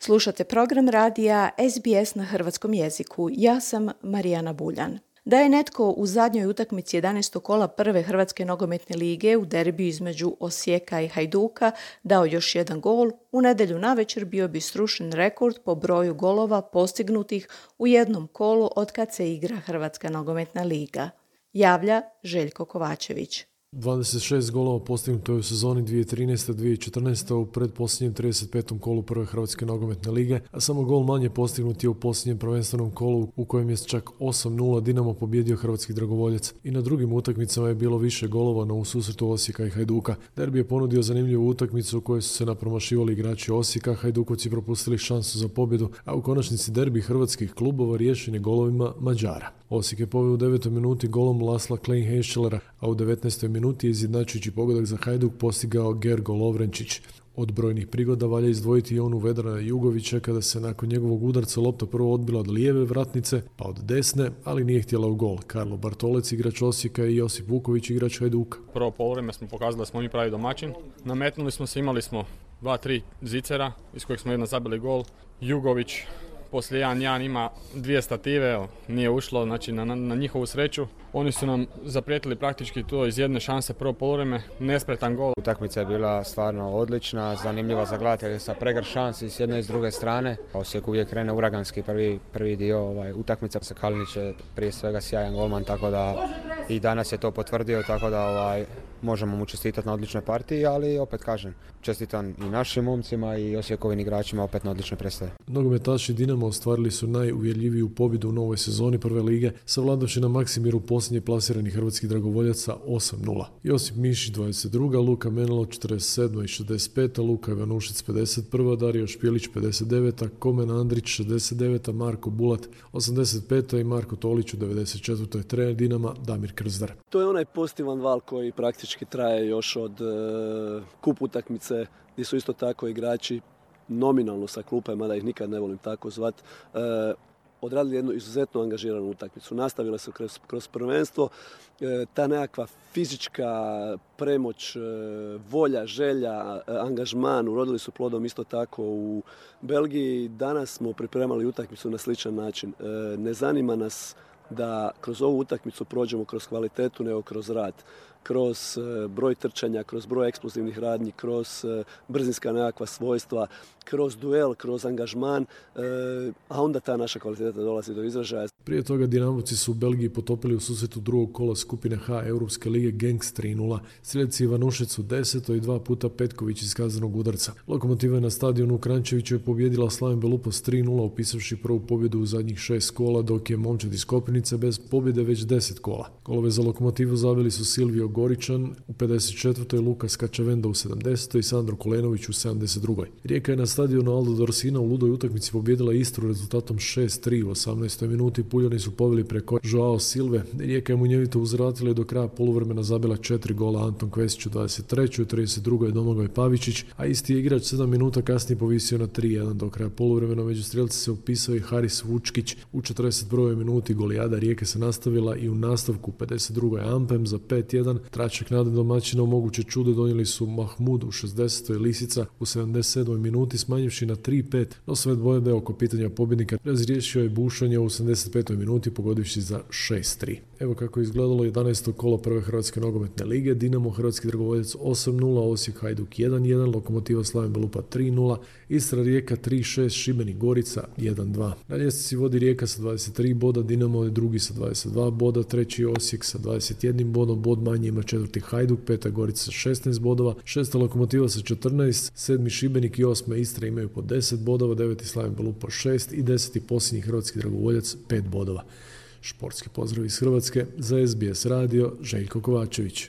Slušate program radija SBS na hrvatskom jeziku. Ja sam Marijana Buljan. Da je netko u zadnjoj utakmici 11. kola prve Hrvatske nogometne lige u derbiju između Osijeka i Hajduka dao još jedan gol, u nedjelju navečer bio bi srušen rekord po broju golova postignutih u jednom kolu od kad se igra Hrvatska nogometna liga. Javlja Željko Kovačević. 26 golova postignuto je u sezoni 2013-2014 u predposljednjem 35. kolu prve Hrvatske nogometne lige, a samo gol manje postignut je u posljednjem prvenstvenom kolu u kojem je čak 8-0 Dinamo pobjedio hrvatski dragovoljac. I na drugim utakmicama je bilo više golova, no u susretu Osijeka i Hajduka. Derbi je ponudio zanimljivu utakmicu u kojoj su se napromašivali igrači Osijeka, Hajdukovci propustili šansu za pobjedu, a u konačnici derbi hrvatskih klubova riješen je golovima Mađara. Osijek je poveo u 9. minuti golom Lasla Klein-Heschelera, a u 19. minuti je izjednačujući pogodak za Hajduk postigao Gergo Lovrenčić. Od brojnih prigoda valja izdvojiti i onu Vedrana Jugovića kada se nakon njegovog udarca lopta prvo odbila od lijeve vratnice, pa od desne, ali nije htjela u gol. Karlo Bartolec, igrač Osijeka, i Josip Vuković, igrač Hajduka. Prvo poluvreme smo pokazali da smo mi pravi domaćin. Nametnuli smo se, imali smo 2-3 zicera iz kojeg smo jedno zabili gol. Jugović poslije 1-1 ima 2 stative, nije ušlo, znači na njihovu sreću. Oni su nam zaprijetili praktički to iz jedne šanse prvo poluvreme, nespretan gol. Utakmica je bila stvarno odlična, zanimljiva za gledatelje sa pregršt šansi s jedne i s druge strane. Osijek uvijek krene uraganski prvi dio utakmica. Kalinić je prije svega sjajan golman, tako da i danas je to potvrdio, tako da možemo mu čestitati na odličnoj partiji, ali opet kažem, čestitam i našim momcima i Osijekovim igračima opet na odličnoj predstavi. Nogometaši Dinama ostvarili su najuvjerljiviju pobjedu u novoj sezoni prve lige, savladavši na Maksimiru posljednje plasirani hrvatski dragovoljaca 8-0. Josip Mišić 22, Luka Menelo 47 i 65, Luka Ivanušić 51, Dario Špjelić 59, Komen Andrić 69, Marko Bulat 85 i Marko Tolić u 94. trener Dinama Damir Krzdar. To je onaj pozitivan val koji praktički traje još od kup utakmice, gdje su isto tako igrači nominalno sa klupe, mada ih nikad ne volim tako zvat, odradili jednu izuzetno angažiranu utakmicu. Nastavile su kroz prvenstvo. Ta nekakva fizička premoć, volja, želja, angažman urodili su plodom isto tako u Belgiji. Danas smo pripremali utakmicu na sličan način. Ne zanima nas da kroz ovu utakmicu prođemo kroz kvalitetu, nego kroz rad. Kroz broj trčanja, kroz broj eksplozivnih radnji, kroz brzinska nekakva svojstva, kroz duel, kroz angažman, a onda ta naša kvaliteta dolazi do izražaja. Prije toga Dinamovci su u Belgiji potopili u susretu drugog kola skupine H Europske lige Genks 3-0. Strelci Ivanušić u 10. i 2 puta Petković iz kaznenog udarca. Lokomotiva je na stadionu u Kranjčeviću je pobjedila Slaven Belupo s 3-0, upisavši prvu pobjedu u zadnjih 6 kola, dok je momčad iz Kopirnice bez pobjede već 10 kola. Golove za Lokomotivu zabili su Silvio Goričan u 54. Lukas Kačavenda u 70. i Sandro Kolenović u 72. Rijeka je na stadionu Aldo Dorsina u ludoj utakmici pobjedila Istru rezultatom 6-3 u 18. minuti. Puljani su poveli preko Joao Silve. Rijeka je munjevito uzvratila i do kraja poluvremena zabila 4 gola, Anton Kvesić u 23. u 32. Domagoj Pavičić, a isti je igrač 7 minuta kasnije povisio na 3-1 do kraja poluvremena. Među strelci se upisao i Haris Vučkić u 41. minuti. Golijada Rijeke se nastavila i u nastavku 52. Ampem za 5-1. Tračak nade domaćina u moguće čudo donijeli su Mahmud u 60. Lisica u 77. minuti smanjivši na 3-5, no sve dvojbe oko pitanja pobjednika razriješio je Bušanja u 85. minuti pogodivši za 6-3. Evo kako je izgledalo 11. kolo prve Hrvatske nogometne lige. Dinamo hrvatski dragovoljac 8-0, Osijek Hajduk 1-1, Lokomotiva Slaven Belupa 3-0, Istra Rijeka 3-6, Šibenik Gorica 1-2. Na ljestvici vodi Rijeka sa 23 boda, Dinamo je drugi sa 22 boda, treći Osijek sa 21 bodom, bod manje ima četvrti Hajduk, peta Gorica sa 16 bodova, šesta Lokomotiva sa 14, sedmi Šibenik i osma Istra imaju po 10 bodova, deveti Slaven Belupa 6 i 10. posljednji hrvatski dragovoljac 5 bodova. Športski pozdrav iz Hrvatske, za SBS radio Željko Kovačević.